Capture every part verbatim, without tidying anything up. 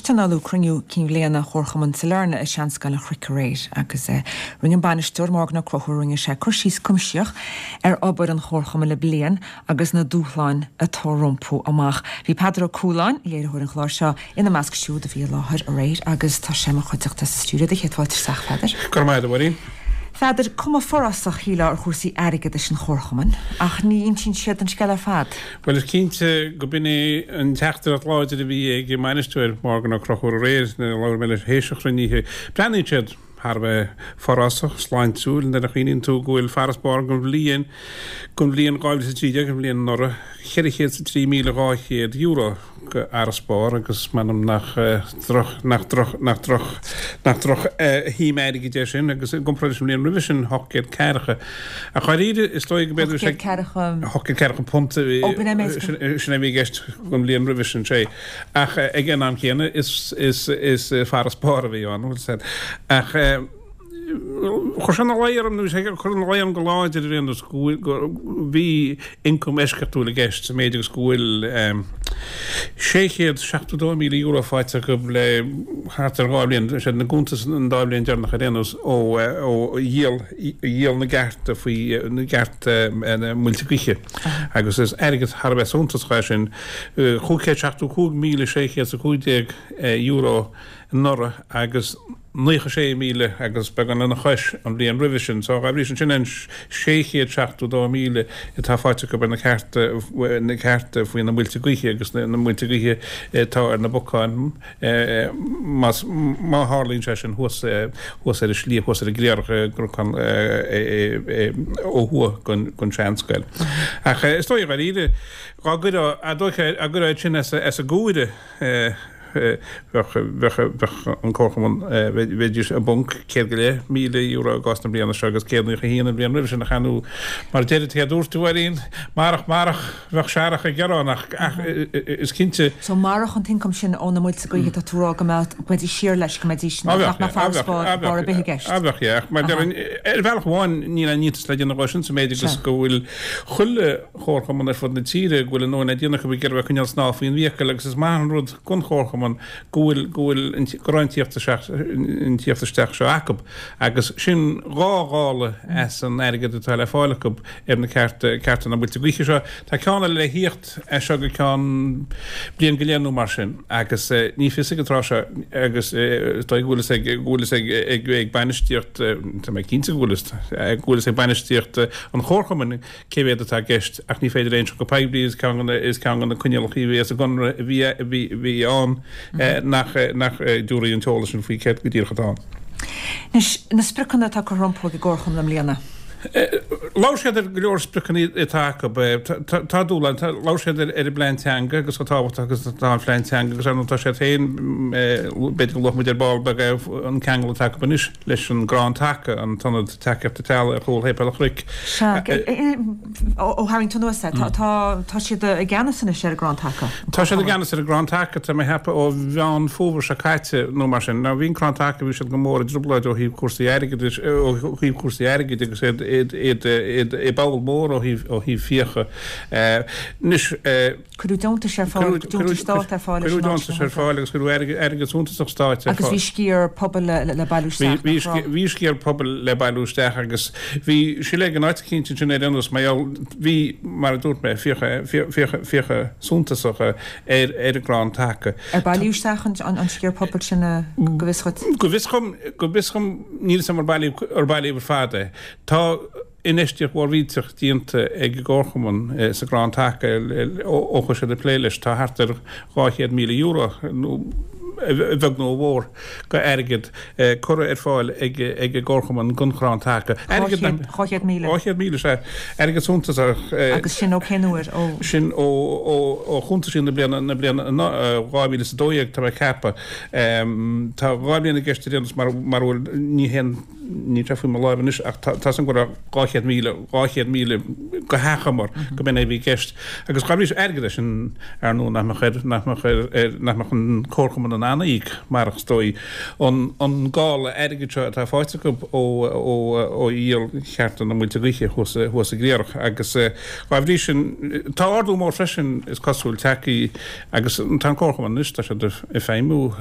tionóladh cruinniú cinn bhliana Chomharchumann Sailearna i Seanscoil an Chnoic aréir agus eh, rinne an bainisteoir Morgan Ó Conchúir rinne sé cur síos cuimsitheach ar obair an Chomharchumainn le bliain agus na dúshláin atá rompu amach. Bhí Peadar Ó Cualáin, léiritheoir an chláir seo ina measc siúd a bhí i láthair aréir agus tá sé i mo chuideachta sa stiúideo do chéad fáilte isteach Pheadair. Go raibh maith agat, a Mháirín. Pheadair cuma forásach shílfeá ar chúrsaí airgeadais an Chomharchumainn ach ní insíonn siad an scéal ar fad. Well is cinnte go b'in é an teachtaireacht láidir a bhí ag an mbainisteoir Morgan Ó Conchúir aréir nuair a labhair mé leis théis an chruinnithe. Breathnaíonn siad thar a bheith forásach sláintiúil nuair a chuimhníonn tú go bhfuil farasbarr don bhliain don bhliain dhá mhíle is a trí déag an bhliain anuraidh ceithre chéad is a trí míle dhá chéad euro go fharasbarr agus m'anam nach droch nach droch nach droch nach droch shuim airgid é sin agus i gcomparáid leis an bhliain roimhe sin ocht gcéad ceathracha. Ach dháiríre is dóigh go b'fhéidir Ocht gcéad ceathracha ocht gcéad ceathracha punt Ó, b'in é méid sin sin a bhí i gceist don bhliain roimhe sin sé. Ach ag an am céanna is is is farasbarr a bhí ann ach chuir sé ina luí orm nó sé chuir ina luí orm go láidir ar aon nós go go bhí ioncam eisceachtúil i gceist sa méid agus go bhfuil sé chéad seachtó dó míle euro faighte acu le thart ar dhá bhliain sé na cuntais an dá bhliain deireanach ar aon nós ó ó dhíol dhíol na gcearta faoi na gcearta na muilte gaoithe agus is airgead thar a bheith suntasach é sin cúig chéad seachtó cúig míle sé chéad is a cúig déag euro anuraidh agus naocha sé míle agus beagán lena chois an bhliain roimhe sin. So dá bhrí sin sin an sé chéad seachtó dó míle atá faighte acu ar na cearta na cearta faoi na muilte gaoithe agus na na muilte gaoithe atá ar na bocáin más má tharlaíonn sé sin thuas thuas ar an sliabh thuas ar an gcriathrach i gCnocán ó thuaidh den den seanscoil. Ach is dóigh dháiríre dá gcuirfeá a dócha a gcuirfeá sin as as an gcomhaireamh bheadh bheadh bheadh an Comharchumann bheidís i bponc céad go leith míle euro i gcás na bliana seo agus céad naocha haon an bhliain roimhe sin ach ar ndóigh mar a deir a dúirt tú a Mháirín marach marach bheadh searrach ag gearán ach ach is cinnte So marach an t-ioncam sin ó na muilte gaoithe tá tú ag rá go mbeadh go mbeidís siar leis go mbeidís Á nach bheadh mbeadh farasbarr barr ar bith i gceist. Á bheadh yeah ach mar Aha. ar bhealach amháin níl aon iontas le déanamh dhó sin sa méid agus Sea. go bhfuil chuile chomharchumann ar fud na tíre go bhfuil a ndóthain le déanamh acu ag iarraidh bheith coinneáil snámh faoin bhfiacail agus is maith an rud don chomharchumann go bhfuil go bhfuil an go raibh an tíocht isteach an tíocht isteach seo acu agus sin dhá dhála as an airgead atá le fáil acu ar na cearta cearta na muilte gaoithe seo. Tá ceann eile le thíocht as seo go ceann bliain go leith nó mar sin agus ní fios ag an tráth seo agus is dóigh go bhfuil fhios ag go bhfuil fhios ag ag ag bainistíocht tá mé cinnte go bhfuil fhios go bhfuil fhios ag bainistíocht an chomharchumainn cé mhéad atá i gceist ach ní féidir aon seo go poiblí is ceann de is ceann de na coinníollacha a bhí sa gconradh a bhí a bhí bhí ann nach nach dtabharfaí an t-eolas sin faoi céard go díreach atá ann. Anois na spriocanna atá curtha rompu ag an gComharchumann i mbliana. Labhair siad ar go leor spriocanna atá acu tá dúshlán labhair siad ar ar an bplean teanga agus chomh tábhachtach agus atá an phlean teanga agus ar ndóigh tá siad féin b'fhéidir go luafaidh muid ar ball beag é an ceangal atá acu anois leis an gCrann Taca an t-ionad tacaíochta teaghlaigh ar chúl Shéipéal an Chnoic. Sea, ó tharraing tú anuas é, tá tá siad i gceannas anois ar an gCrann Taca, an Tá siad i Comharchumann. gceannas ar an gCrann Taca, tá mé ag ceapadh ó Mheán Fómhair seo caite nó mar sin. Now bhí an Crann Taca, bhí siad go mór i dtrioblóid ó thaobh cúrsaí airgeadais, ó thaobh cúrsaí airgid agus iad iad iad iad i baol mór ó thaobh ó thaobh fiacha. Anois Cuireadh deontais ar fáil, deontais stáit ar fáil leis Cuireadh an áit deontais sin a ar fáil agus cuireadh airgead airgead suntasach stáit ar Agus bhí fáil. sciar pobail le le bailiú Bhí isteach, bhí nach raibh? bhí sciar pobail le bailiú isteach agus bhí siléig in áit eicínt ansin ar aon nós mar gheall bhí mar a dúirt mé fiacha fiacha fiacha suntasacha ar ar an gCrann Taca. Ar bailíodh isteach an an an sciar pobail sin go bhfios dhuit? Go bhfios dhom go bhfios dhom níl 'fhios a'm ar bailíodh ar bailíodh ar fad é. Tá infheistíocht mhór mhillteach déanta ag an gComharchumann sa gCrann Taca ó chuaigh siad ag plé leis. Tá thart ar dhá chéad míle euro, nó a bheag nó a mhór, go airgead curtha ar fáil ag ag an gComharchumann don Chrann Taca. Dhá chéad, dhá chéad míle? Dhá chéad míle, sea. Airgead suntasach. Agus sin ó cén uair? Ó. Sin ó ó ó chuntaisí na bliana na bliana dhá mhíle is a dó dhéag, tá mé ag ceapadh. Tá dhá bhliain i gceist ar aon nós mar mar bhfuil ní haon níl sé faoi mo láimh anois ach tá tá 's agam go raibh dhá chéad míle, dhá chéad míle go hachomair go b'in é a bhí i gceist. Agus dá bhrí sin, airgead é sin ar ndóigh nach mbeadh ar, nach mbeadh ar, ar, nach mbeadh an Comharchumann in ann a íoc marach is dóigh an, an gála airgid seo atá faighte acu ó, ó, ó dhíol chearta na muilte gaoithe thuas, thuas i gCliarach. Agus dá bhrí sin, tá ardú mór freisin is cosúil tagtha agus tá an Comharchumann anois, tá siad ag feidhmiú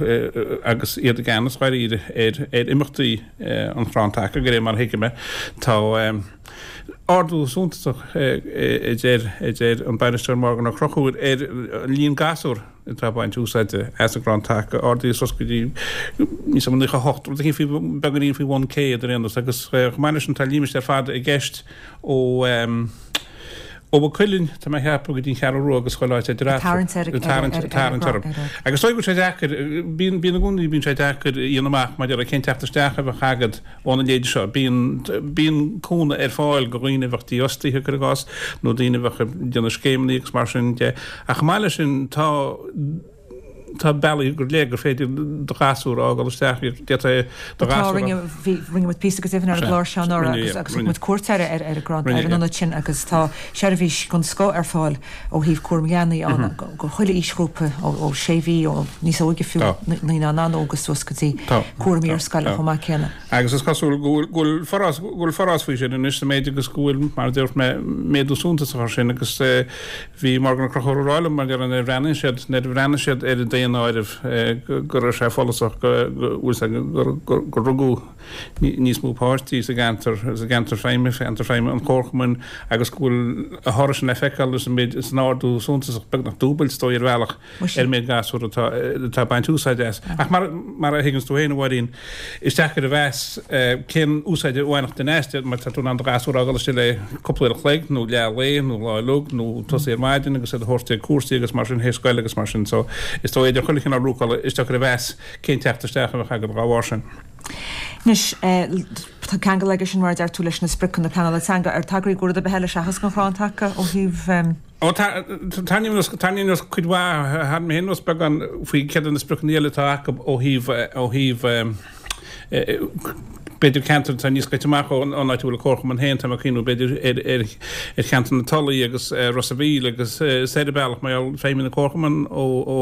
agus iad i gceannas dháiríre ar, ar imeachtaí an Chrann Taca, de réir mar a thuigim é. Tá ardú suntasach, a deir, a deir an bainisteoir Morgan Ó Conchúir, ar an líon gasúr atá ag baint úsáide as an gCrann Taca, ardaithe suas go dtí níos mó nócha a hocht, rud éicint faoi, beagáinín faoi bhun céad ar aon nós, agus chomh maith leis sin tá límistéar fada i gceist ó ó Mhaigh Cuilinn, tá mé a cheapadh, go dtí an Cheathrú Rua agus chuile áit idir eatarthu. Tarraingt ar, tarraingt, ar, ar, tarraingt ar, orthu. ar, ar. Agus is dóigh go bhfuil sé deacair, bíonn, bíonn i gcónaí, bíonn sé deacair a dhéanamh amach maidir le cén teacht isteach a bheadh agat óna leithéid seo. Bíonn, bíonn cúnamh ar fáil do dhaoine a bheadh dífhostaithe, cuir i gcás, nó daoine a bheadh ag déanamh scéimeanna agus mar sin de. Ach chomh maith leis sin, tá, tá bealaí go léir gur féidir do ghasúr a fhágáil isteach, d'fhéadfá do Tá, ghasúr a. rinne, bhí, rinne muid píosa go deimhin ar an Sea, gclár seo anuraidh rinne, agus, yeah, agus thug rinne. muid cuairt ar, ar, ar an gcrann, Rinne, ar an yeah. ionad sin agus tá seirbhís den scoth ar fáil ó thaobh cúram leanaí ann go, go chuile aoisghrúpa ó, ó sé mhí, ó níos óige fiú, Tá. naíonáin an-óga suas go dtí Tá, cúram tá, iarscoile tá. chomh maith céanna. Agus is cosúil go bhfuil, go bhfuil forás, go bhfuil forás faoi sin anois sa méid agus go bhfuil, mar a dúirt mé, méadú suntasach air sin agus eh, bhí Morgan Ó Conchúir ag rá liom mar nuair a bhreathnaigh siad, nuair a bhreathnaigh siad ar an daonáireamh go raibh sé follasach go bhfuil gur rugadh níos mó páistí sa gceantar, sa gceantar feidhme, ceantar feidhme an Chomharchumainn agus go bhfuil a thoradh sin le feiceáil sa méid, san ardú suntasach, beagnach dúbailt is dóigh ar bhealach, ar an méid gasúr atá atá ag baint úsáide as. Ach mar mar a thuigeanns tú féin, a Mháirín, is deacair a mheas cén úsáid a bhainfeadh duine as, mar tá tú in ann do ghasúr a fhágáil istigh le cúpla uair a chloig nó leath lae nó lá uilig nó tosaí ar maidin agus iad a thabhairt ag cúrsaí agus mar sin théis scoile agus mar sin. So is dóigh idir chuile chineál luachála is deacair a mheas cén teacht isteach a bheadh agat dá bharr sin. Anois, tá ceangal aige sin mar a deir tú leis na spriocanna pleanála teanga. Ar tagraíodh do rud ar bith eile seachas an Chrann Taca ó thaobh. Ó, tarraingím anuas, tarraingím anuas cuid mhaith, tharraing mé féin anuas beagán faoi céard iad na spriocanna eile atá acu ó thaobh, ó thaobh, b'fhéidir ceantar atá níos scoite amach ón áit a bhfuil an Comharchumann féin, tá mé ag cuimhniú b'fhéidir ar, ar, ar cheantar na Tulaí agus Ros a' Mhíl agus soir an bealach mar gheall feidhmíonn an Comharchumann ó, ó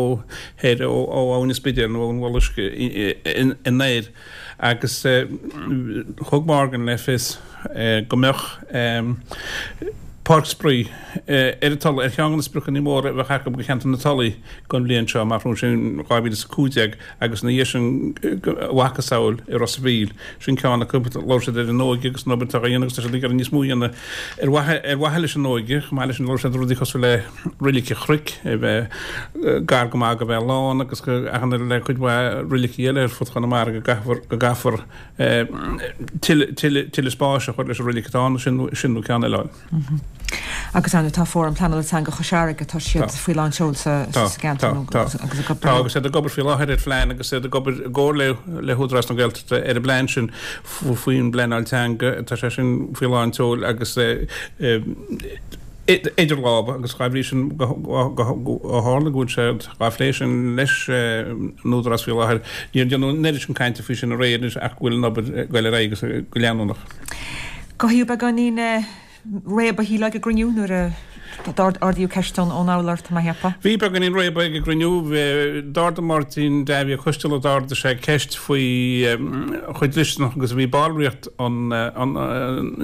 thoir, ó, ó Abhainn an Spidéil nó ón Mhullach Uisce anoir agus thug Morgan le fios go mbeadh páirc spraoi ar an Tulaigh ar cheann de na spriocanna móra a bheadh acu do cheantar na Tulaí don bhliain seo, amach romhainn sin dhá mhíle is a cúig déag agus ina dhiaidh sin a mhacasamhail i Ros a' Mhíl. Sin ceann acu. Labhair siad ar an óige agus an obair atá á dhéanamh agus tá siad ag iarraidh níos mó a dhéanamh ar mhaithe ar mhaithe leis an óige. Chomh maith leis sin labhair siad ar rudaí cosúil le Reilig an Chnoic a bheith gar go maith go bheith lán agus go achan le cuid mhaith reilicí eile ar fud Chonamara go gcaithfear go gcaithfear tuilleadh spáis a chur leis an reilig atá ann, sin nó ceann eile. Agus ar ndóigh tá Fóram Pleanála Teanga Chois Fharraige, tá siad faoi lán seoil sa gceantar nó agus ag obair. Tá, agus iad ag obair faoi láthair ar phlean agus iad ag obair i gcomhar le hÚdarás na Gaeltachta ar an bplean sin faoin bpleanáil teanga, tá sé sin faoi lán tseoil agus idir lámha agus dá bhrí sin ó tharla go bhfuil sé á phlé sin leis an Údarás faoi láthair, níor déanadh an oiread sin cainte faoi sin aréir anois ach go bhfuil an obair ag goil ar aghaidh agus go leanúnach. Cothaíodh beagáinín réabadh shílfeá ag an gcruinniú nuair a d'ardaíodh ceist ón urlár, tá mé a cheapadh. Bhí beagáinín réabadh ag an gcruinniú. D'ardaigh Máirtín Davy Ó Coistealbha, d'ardaigh sé ceist faoi chomh dlisteanach agus a bhí ballraíocht an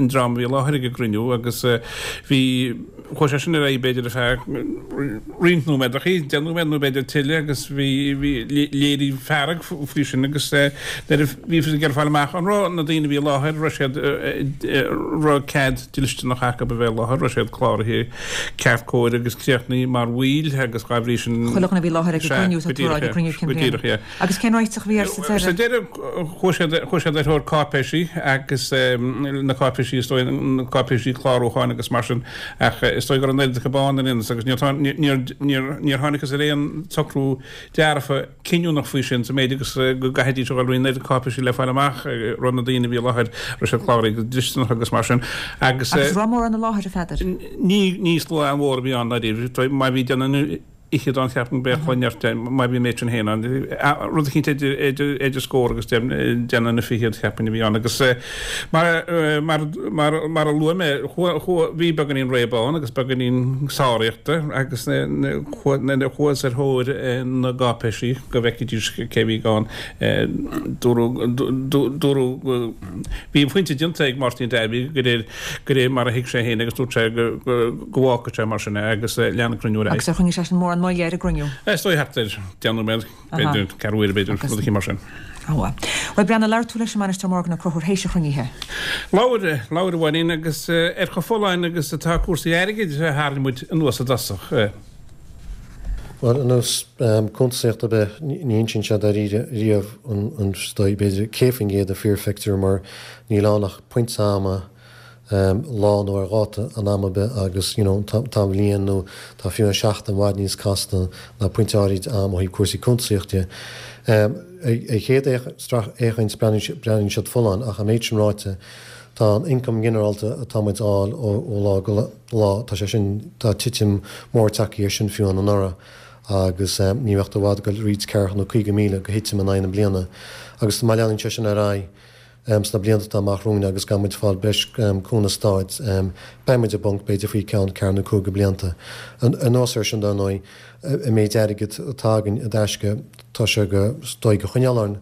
dream a bhí i láthair ag an gcruinniú agus bhí, chuaigh sé sin ar aghaidh b'fhéidir ar feadh roinnt nóiméad, deich nóiméad nó b'fhéidir tuilleadh agus bhí, bhí, léiríodh fearg faoi sin agus nuair a bhí ag iarraidh fáil amach an raibh na daoine a bhí i láthair, raibh siad, raibh cead dlisteanach acu a bheith i láthair, raibh siad cláraithe ceart cóir agus críochnaithe mar bhaill agus dá bhrí sin. Chuile dhuine a bhí i láthair ag an Sea, gcruinniú, tá go tú ag rá díreach, ag an gcruinniú cinn go bhliana. díreach, yeah. Agus cén réiteach a bhí air sa Sa deireadh? deireadh, chuaigh siad, chuaigh siad ar thóir cáipéisí agus na cáipéisí, is dóigh, na cáipéisí clárúcháin agus mar sin, ach is dóigh go raibh an oiread acu ann ar aon nós agus níor, níor, níor, níor thángthas ar aon tsocrú dearfa cinniúnach faoi sin sa méid agus go gcaithfidís a dhul thríd an oiread cáipéisí le fáil amach raibh na daoine a bhí i láthair, raibh siad cláraithe go dlisteanach agus mar sin agus. Agus raibh mórán i láthair, a Pheadair? Ní, ní slua an-mhór a bhí ann dáiríre, má bhí déanamh fhichead ann cheapfainn b'fhéidir chomh neart má bhí an méid sin féin ann. Rud eicínt idir idir scór agus déanamh na fichead cheapfainn a bhí ann agus mar mar mar mar a luaigh mé bhí beagáinín réabadh ann agus beagáinín sáraíochta agus chuathas ar thóir na gcáipéisí go bhfeicfidís cé bhí ann. Dúradh dúradh bhí an pointe déanta ag Máirtín Davy de réir de réir mar a thuig sé féin agus dúirt sé go go bhfágfadh sé mar sin é agus lean an cruinniú ar aghaidh. Agus ar choinnigh seisean mórán moille ar an gcruinniú? Is dóigh thart ar deich nóiméad, b'fhéidir ceathrú uaire b'fhéidir, rud eicínt mar sin. Á. Bhuel, Breandán, labhair tú leis an mbainisteoir Morgan Ó Conchúir théis an chruinnithe. Labhair, labhair a Mháirín, agus ar chomh folláin agus atá cúrsaí airgid a tharraing muid anuas i dtosach. Bhuel, ar nós cuntasaíocht ar bith, ní insíonn sé dáiríre riamh an is dóigh, b'fhéidir, céad faoin gcéad an fíorphictiúr mar níl ann ach pointe ama, lá nó ar dháta an ama ar bith agus you know tá an bhliain nó tá fiú an seachtain i bhfad níos casta ná pointe áirid ama ó thaobh cúrsaí cuntasaíochta de. Ar chéad fhéachaint breathnaíonn siad folláin ach an méid sin ráite tá an ioncam ginearálta atá muid a fháil ó lá go lá, tá sé sin, tá titim mór tagtha air sin fiú anuraidh agus ní bheadh tú i bhfad ag dul roinnt ceathracha nó caoga míle de thitim in aghaidh na bliana agus má leanann sé sin ar aghaidh sna blianta atá amach romhainn agus gan muid ag fáil breis cúnamh stáit, beidh muid i bponc b'fhéidir faoi ceann ceathair nó cúig de blianta. Anuas air sin, dar ndóigh, an méid airgid atá againn i dtaisce, tá sé go, is dóigh, a choinneáil orainn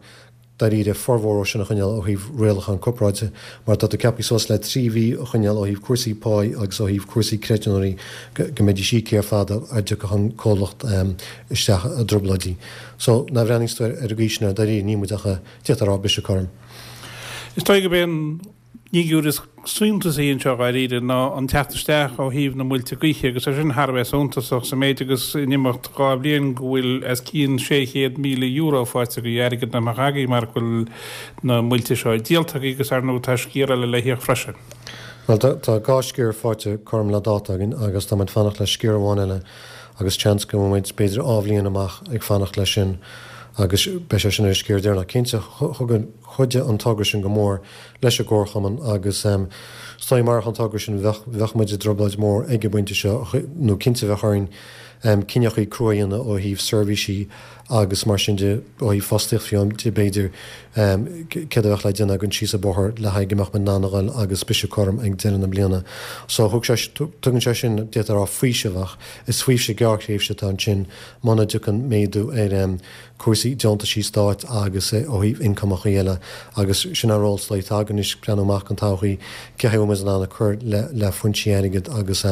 dáiríre formhór ó sin a choinneáil ó thaobh rialachán corparáide mar tá tú ceaptha suas le trí mhí a choinneáil ó thaobh cúrsaí páí agus ó thaobh cúrsaí creidiúnaí go mbeidís íoctha ar fad sara dtiocfadh an comhlacht isteach i dtrioblóidí. So, nuair a bhreathnaíonns tú ar an gcaoi sin air dáiríre níl muid ach, d'fhéadfá a rá, briseadh cothrom. Is dóigh gurb é an fhigiúr is suntasaí anseo dháiríre ná an teacht isteach ó thaobh na muilte gaoithe agus é sin thar a bheith suntasach sa méid agus in imeacht dhá bhliain go bhfuil os cionn sé chéad míle euro faighte agaibh, airgead nach mbeadh agaibh mara bhfuil na muilte seo díolta agaibh agus ar ndóigh tá sciar eile le híoc freisin. Bhuel tá dhá sciar faighte cothrom le dáta againn agus tá muid fanacht le sciar amháin eile agus seans go mbeidh muid b'fhéidir dhá bhliain amach ag fanacht leis sin agus beidh sé sin ar an sciar deireanach. Cinnte thug an chuidigh an togra sin go mór leis an gComharchumann agus is dóigh marach an togra sin bheadh bheadh muid i dtrioblóid mhór ag an bpointe seo nó cinnte bheadh orainn cinneachaí crua a dhéanamh ó thaobh seirbhísí agus mar sin de, ó thaobh fostaíocht fiú de b'fhéidir, céard a bheadh le déanamh againn síos an bóthar le haghaidh go mbeadh muid in ann a dhul agus briseadh cothrom ag deireadh na bliana. So thug sé, tugann sé sin, d'fhéadfá a rá, faoiseamh ach is faoiseamh gearrthréimhse atá ansin muna dtiocfaidh méadú ar cúrsaí deontaisí stáit agus ó thaobh ioncumachaí eile agus sin an ról is dóigh atá againn anois, breathnú amach don todhchaí, cé chaoi a bhfuil muid in ann a cur le le foinsí airgid agus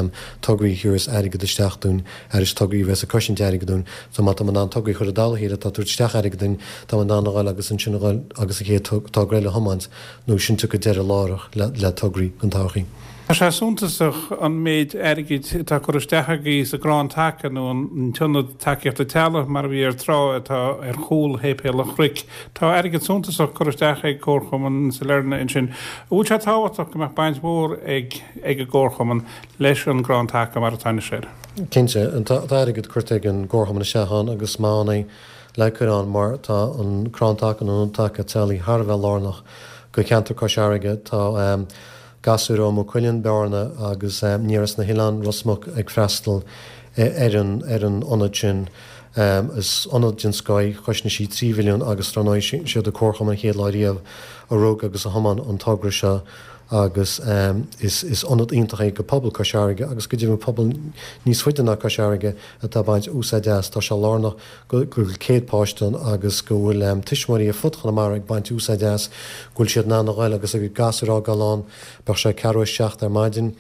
tograí a thiúrfas airgead isteach dúinn, arís tograí a bheas ag cosaint airgid dúinn. So má tá muid in ann tograí a chur i dtoll a chéile atá ag tabhairt isteach airgead dúinn, tá muid in ann a dhul agus ansin a dhul agus an chéad togra eile a thiomáint nó sin tiocfaidh deireadh láithreach le le tograí don todhchaí. Tá sé suntasach an méid airgid atá curtha isteach agaibh sa gCrann Taca nó an tIonad Tacaíochta Teaghlaigh mar a bhí air tráth atá ar chúl Shéipéal an Chnoic. Tá airgead suntasach curtha isteach ag Comharchumann Sailearna ansin. An bhfuil sé tábhachtach go mbeadh baint mhór ag ag an gComharchumann leis an gCrann Taca mar atá anois air? Cinnte. Tá airgead curtha ag an gComharchumann isteach ann agus is maith ann é le cur ann mar tá an Crann Taca nó an Ionad Taca Teaghlaigh thar a bheith lárnach do cheantar Cois Fharraige. Tá. Gasúir ó Maigh Cuilinn, Bearna agus aniar as na hoileáin, Ros Muc ag freastal ar an ar an ionad sin. Is ionad den scoith, chosnaigh sí trí mhilliún agus dar ndóigh siad an Comharchumann an chéad lá riamh a rug agus a thiomáin an togra seo agus is is ionad iontach é do pobal Cois Fharraige agus go deimhin pobal níos faide ná Cois Fharraige atá ag baint úsáid as. Tá sé lárnach go bhfuil céad páiste ann agus go bhfuil tuismitheoirí ar fud Chonamara ag baint úsáid as, go bhfuil siad in ann a ghoil agus a gcuid gasúir a fhágáil ann, bíodh sé ceathrú a seacht ar maidin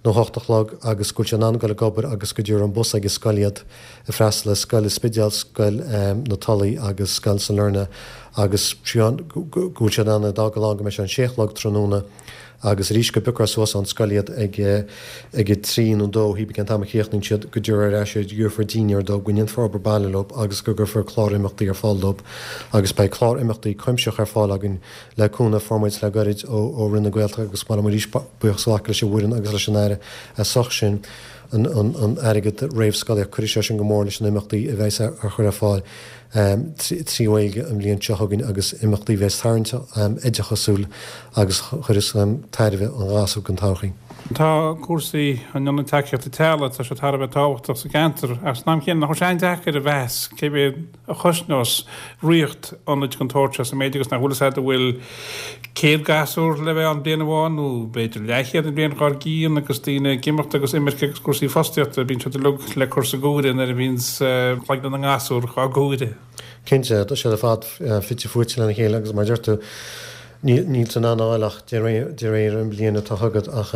nó hocht a chlog agus go bhfuil siad in ann goil ag obair agus go dtabharfaidh an bus ag an scoil iad ag freastal ar scoil an Spidéil, scoil na Tulaí agus scoil Sailearna agus go bhfuil siad in ann iad a fhágáil ann go mbeidh sé an sé a chlog tráthnóna. Agus arís go bpiocfar suas ón scoil iad ag ag a trí nó dó, híbí cén t-am a chríochnaíonn siad, go dtabharfar ar ais iad, gheofar dinnéar dóibh, go ndéanfar obair baile leo agus go gcuirfear clár imeachtaí ar fáil dóibh. Agus beidh clár imeachtaí cuimsitheach ar fáil againn le cúnamh a fuair muid le gairid ó ó Roinn na Gaeltachta agus ba mhaith liom arís buíochas a ghlacadh leis an bhfoireann agus leis an Aire as ucht sin, an an an airgead réamhscolaíocht. Cuirfidh sé sin go mór leis na himeachtaí a bheas ar chur ar fáil. trí Ghaeilge an bhliain seo chugainn agus imeachtaí a bheas tarraingteach, oideachasúil agus a chuirfeas tairbhe don ghasúr don todhchaí. Tá cúrsaí an ionaid tacaíochta teaghlaigh, tá sé thar a bheith tábhachtach sa gceantar, ach san am chéanna nach bhfuil sé an-deacair a mheas cé mhéad a chosnós ríocht ionaid den tsórt seo sa méid agus nach bhfuil fhios agat an bhfuil céad gasúr le bheith ann bliain amháin nó b'fhéidir leathchéad an bhliain dhár gcionn agus daoine ag imeacht agus imirce agus cúrsaí fostaíochta, bíonn siad uilig le cur sa gcomhaireamh nuair a bhíonns cloigne na ngasúr á gcomhaireamh. Cinnte, tá siad ar fad fite fuaite lena chéile agus mar a deir tú, níl tú in ann a fháil ach de réir an bhliain atá chugat ach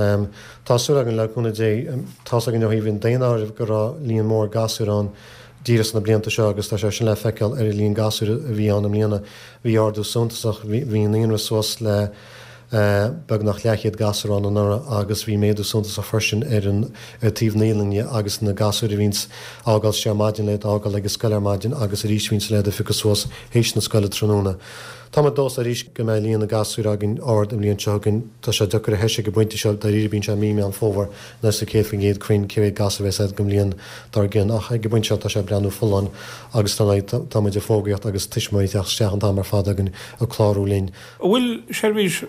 tá súil againn le cúnamh Dé, tá's againn ó thaobh an daonáirimh go raibh líon mór gasúr ann díreach sna blianta seo agus tá sé sin le feiceáil ar an líon gasúr a bhí ann i mbliana. Bhí ardú suntasach, bhí an naíonra suas le beagnach leathchéad gasúr ann anuraidh agus bhí méadú suntasach freisin ar an ar taobh naíolainne agus na gasúir a bhíonns á fhágáil isteach ar maidin le iad a fhágáil ag an scoil ar maidin agus arís bhíonns le iad a phiocadh suas théis na scoile tráthnóna. Tá muid dóchasach arís go mbeidh líon na gasúir againn ard an bhliain seo chugainn. Tá sé deacair a thomhas ag an bpointe seo, dáiríre bíonn sé mí Meán Fómhair nuair is céad faoin gcéad cruinn cé mhéad gasúr a bheas agat don bhliain dár gcionn ach ag an bpointe seo tá sé ag breathnú folláin agus dar ndóigh tá muid ag fógraíocht agus tuismitheoirí ag teacht isteach an t-am ar fad againn ag clárú linn. An bhfuil seirbhís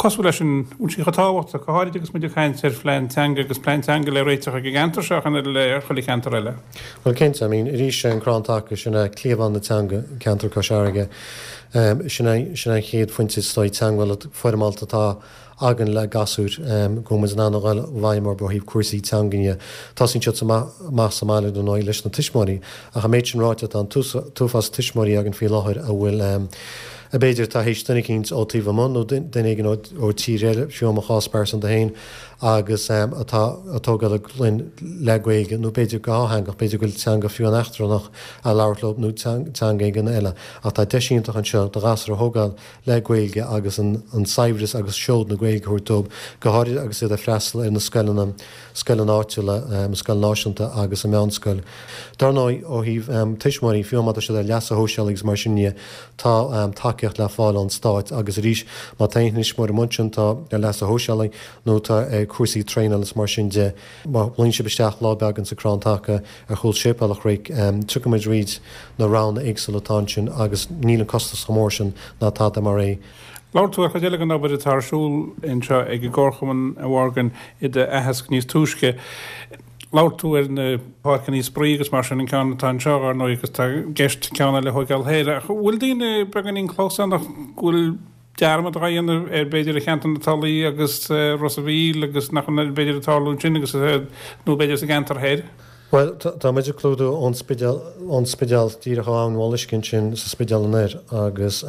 cosúil leis sin, an bhfuil sí chomh tábhachtach, go háirid agus muid ag caint ar phlean teanga agus plean teanga le réiteach ag an gceantar seo ach an oiread le chuile cheantar eile. Bhuel cinnte, I mean arís an Crann Taca, sin é cliabhán na teanga i gceantar Cois Fharraige. Sin é sin é an chéad phointe is dóigh teagmhála foirmeálta atá againn le gasúir, go bhfuil muid in ann a dhul i bhfeidhm orthu ó thaobh cúrsaí teangan dhe. Tosaíonn siad amach sa mbaile dar ndóigh leis na tuismitheoirí ach an méid sin ráite tá an t-uafás tuismitheoirí againn faoi láthair a bhfuil a b'fhéidir atá théis duine eicínt ó taobh amuigh nó duine éigin ó tír eile, fiú i mo chás pearsanta féin, agus atá ag tógáil a gclainn le Gaeilge nó b'fhéidir go dhátheangach, b'fhéidir go bhfuil teanga fiú an eachtrannach á labhairt leo nó teanga éigin eile. Ach tá deis iontach anseo do ghasúr a thógáil le Gaeilge agus an saibhreas agus seod na Gaeilge a thabhairt dóibh, go háirithe agus iad ag freastal ar na scoileanna, scoileanna áitiúla, an scoil náisiúnta agus an mheánscoil. Dar ndóigh, ó thaobh tuismitheoirí, fiú má tá siad ar leasa shóisialaigh agus mar sin dhe, tá tacaíocht le fáil ón Stát agus arís, má tá aon thuismitheoir amuigh ansin atá ar leasa shóisialaigh nó atá ar cúrsaí traenála is mar sin de, má ghlaonn sibh isteach lá beag insa Crann Taca ar chúl Séipéal an Chnoic, tiocfaidh muid thríd na roghanna éagsúla atá ansin agus níl an costas chomh mór sin ná tada mar é. Labhair tú ar chuid eile den obair atá ar siúl anseo ag an gComharchumann, a Mhorgan, i d'aitheasc níos túisce. Labhair tú ar na páirceanna spraoi agus mar sin, an ceann atá anseo, ar ndóigh, agus tá i gceist ceann eile a thóigeáil thoir. Ach an bhfuil daoine beagáinín clamhsánach go bhfuil dearmad á dhéanamh ar b'fhéidir ar cheantar na Tulaí agus Ros a' Mhíl agus nach bhfuil b'fhéidir ag tarlú ansin agus nó b'fhéidir sa gceantar thoir? Bhuel, tá muid ag clúdú ón Spidéal, ón Spidéal díreach ó Abhainn Mholuisce ansin sa Spidéal anoir agus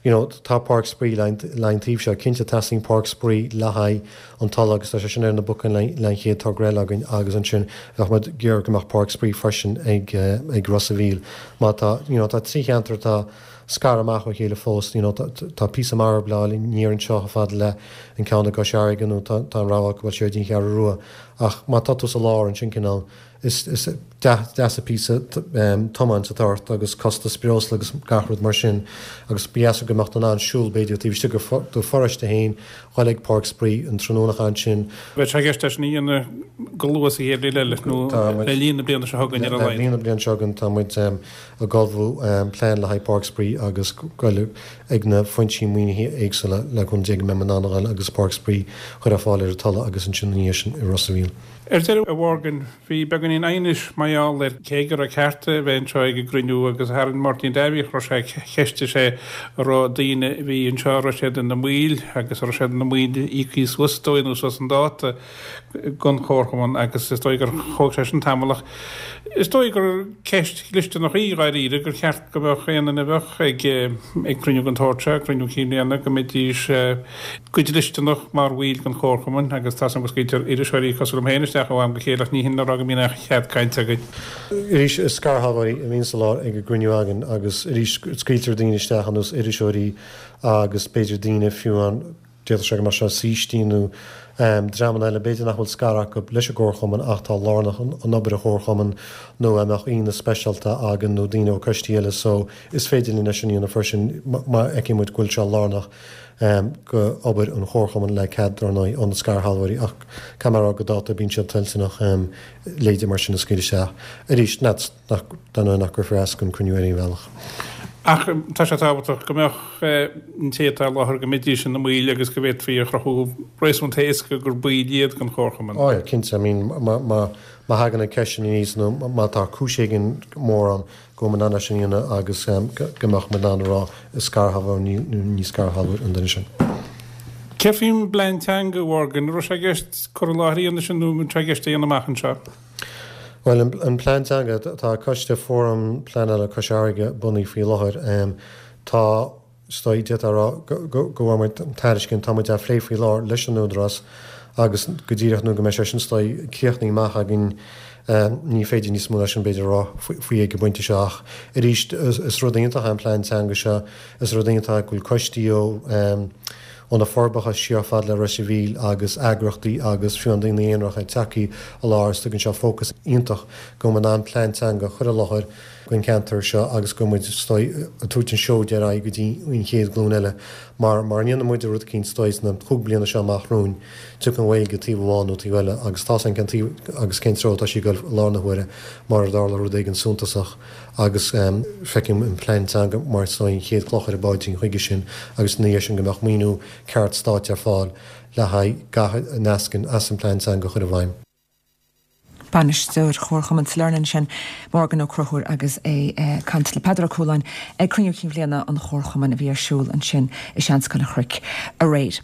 you know tá páirc spraoi le an taobh seo. Cinnte teastaíonn páirc spraoi le haghaidh an Tulaigh agus tá sé sin ar na bocáin le le an chéad togra eile againn agus ansin bheadh muid ag iarraidh go mbeadh páirc spraoi freisin ag ag Ros a' Mhíl. Má tá, you know tá trí cheantar atá scartha amach ó chéile fós, you know tá píosa marbh le fháil aniar anseo chomh fada le an ceann i gCois Fharraige nó tá tá an rogha acu dul siar dtí an Cheathrú Rua. Ach má tá tú sa lár ansin cineál, is deas an píosa tiomáint atá ort agus costas breosla agus gach rud mar sin agus ba dheas go mbeadh tú in ann siúl b'fhéidir taobh istigh de do pharóiste féin, dhul ag páirc spraoi an tráthnóna ansin. Beidh sé i gceist é sin a dhéanamh go luath sa chéad bhliain eile nó le linn na bliana seo chugainn ar a laghad. Le linn na bliana seo chugainn tá muid ag ullmhú plean le haghaidh páirc spraoi agus goil ag na foinsí maoinithe éagsúla le cúnamh Dé go mbeidh muid in ann a dhul agus páirc spraoi a chur ar fáil ar an Tulaigh agus ansin ina dhiaidh sin i Ros a' Mhíl. Ar deireadh, a Mhorgan, bhí beagáinín aighnis mar gheall ar cé go raibh ceart a bheith anseo ag an gcruinniú agus tharraing Máirtín Davy, raibh sé, cheistigh sé an raibh daoine a bhí anseo, an raibh siad ina mbaill agus an raibh siad ina mbaill íoctha suas is dóigh nó suas chun dáta den Chomharchumann agus is dóigh gur thóg sé sin tamall ach is dóigh gur ceist dhlisteanach í dháiríre gur cheart go mbeadh aon duine a bheadh ag ag cruinniú den tsórt seo, cruinniú cinn bhliana, go mbeidís go dlisteanach mar bhaill den Chomharchumann agus tá 's agam go scaoiltear iriseoirí cosúil liom féin isteach ó am go chéile ach ní hin le rá go mbíonn aon chead cainte againn. Arís, is scairshealbhóirí a bhíonn sa lár ag an gcruinniú againn agus arís scaoiltear daoine isteach ar nós iriseoirí agus b'fhéidir daoine fiú an, d'fhéadfadh sé go mbeadh sé saoistí nó dreamanna eile b'fhéidir nach bhfuil scair acu leis an gComharchumann ach atá lárnach in obair an Chomharchumainn nó a mbeadh aíonna speisialta againn nó daoine ó coistí eile so is féidir linn é sin a dhéanamh freisin má fheiceann muid go bhfuil sé lárnach go obair an Chomharchumainn le cead dar ndóigh ó na scairshealbhóirí ach caithfidh mé a rá go dáta bíonn siad toilteanach leithéidí mar sin a scaoileadh isteach arís nach dar ndóigh nach gcuirfear as don cruinniú ar aon bhealach. Ach tá sé tábhachtach go mbeadh an té atá i láthair go mbeidís ina mbaill agus go bhféadfaí a chruthú réasúnta éasca gur baill iad den chomharchumann. Ó yeah, cinnte. I mean, má thagann an ceist sin aníos nó má tá cúis éigin mór ann go bhfuil muid in ann é sin a dhéanamh agus go mbeadh muid in ann a rá is scairshealbhóir nó ní scairshealbhóir an duine sin. Céard faoin bplean teanga, a Mhorgan? An raibh sé i gceist cur i láthair a dhéanamh sin nó an bhfuil sé i gceist a dhéanamh amach anseo? Bhuel, an plean teanga, tá coiste Fóram Pleanála Cois Fharraige bunaithe faoi láthair. Tá, is dóigh, d'fhéadfá a rá go bhfuair muid tairiscint, tá muid á phlé faoi láthair leis an Údarás agus go díreach nuair go mbeidh sé sin is dóigh críochnaithe amach againn, ní féidir níos mó ná sin b'fhéidir a rá faoi ag an bpointe seo ach arís is rud iontach é an plean teanga seo, is rud iontach é go bhfuil coistí ó. Ó na Forbacha siar fad le Ros a' Mhíl agus eagraíochtaí agus fiú daoine aonaracha tagtha i láthair is tugann seo fócas iontach go bhfuil muid in ann plean teanga a chur i láthair don cheantar seo agus go bhfuil muid is dóigh ag tabhairt an seoid ar aghaidh go dtí an chéad ghlúin eile mar mura ndéanann muid rud eicínt is dóigh sna cúig bliana seo amach romhainn tiocfaidh an Ghaeilge taobh amháin nó taobh eile agus tá cén taobh agus cén treo atá sí ag dul i láthair na huaire mura dtarla rud éigin suntasach agus feicim an plean teanga mar is dóigh an chéad chloch ar an bpaidrín chuige sin agus ina dhiaidh sin go mbeadh maoiniú ceart stáit ar fáil le haghaidh gach a n-eascaíonn as an bplean teanga a chur i bhfeidhm. Bainisteoir Chomharchumann Sailearna ansin, Morgan Ó Conchúir agus é ag caint le Peadar Ó Cualáin ag cruinniú cinn bhliana an Chomharchumainn a bhí ar siúl ansin i Seanscoil an Chnoic aréir.